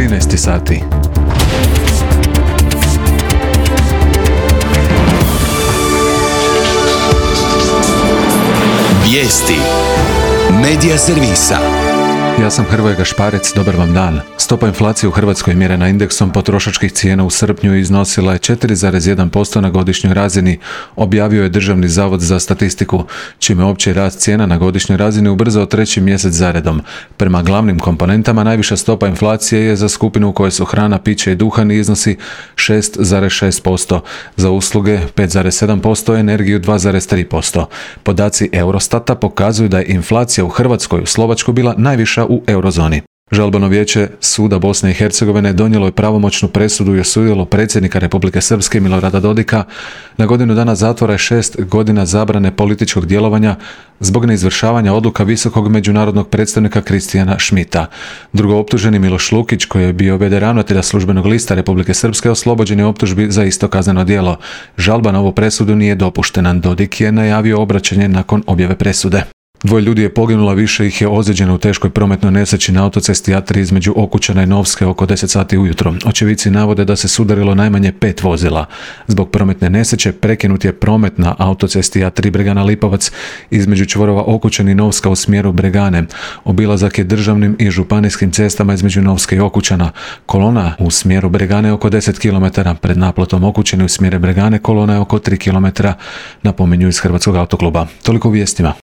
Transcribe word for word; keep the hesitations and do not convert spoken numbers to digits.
trinaest sati. Vijesti Medija servisa. Ja sam Hrvoje Gašparec, dobar vam dan. Stopa inflacije u Hrvatskoj mjerena indeksom potrošačkih cijena u srpnju iznosila je četiri zarez jedan posto na godišnjoj razini, objavio je Državni zavod za statistiku, čime opći rast cijena na godišnjoj razini ubrzao treći mjesec zaredom. Prema glavnim komponentama najviša stopa inflacije je za skupinu u kojoj su hrana, piće i duhan i iznosi šest zarez šest posto, za usluge pet zarez sedam posto, energiju dva zarez tri posto. Podaci Eurostata pokazuju da je inflacija u Hrvatskoj u Slovačkoj bila najviša u eurozoni. Žalbeno vijeće Suda Bosne i Hercegovine donijelo je pravomoćnu presudu i osudilo predsjednika Republike Srpske Milorada Dodika na godinu dana zatvora i šest godina zabrane političkog djelovanja zbog neizvršavanja odluka visokog međunarodnog predstavnika Kristijana Šmita. Drugo optuženi Miloš Lukić, koji je bio v d ravnatelja službenog lista Republike Srpske, oslobođen je optužbi za isto kazneno djelo. Žalba na ovu presudu nije dopuštena. Dodik je najavio obraćanje nakon objave presude. Dvoje ljudi je poginulo, više ih je ozlijeđeno u teškoj prometnoj nesreći na autocesti A tri između Okučana i Novske oko deset sati ujutro. Očevici navode da se sudarilo najmanje pet vozila. Zbog prometne nesreće prekinut je promet na autocesti A tri Bregana Lipovac između čvorova Okučan i Novska u smjeru Bregane. Obilazak je državnim i županijskim cestama između Novske i Okučana. Kolona u smjeru Bregane oko deset kilometara, pred naplotom Okučani u smjeru Bregane kolona je oko tri kilometra, napominju iz Hrvatskog autokluba. Toliko u vijestima.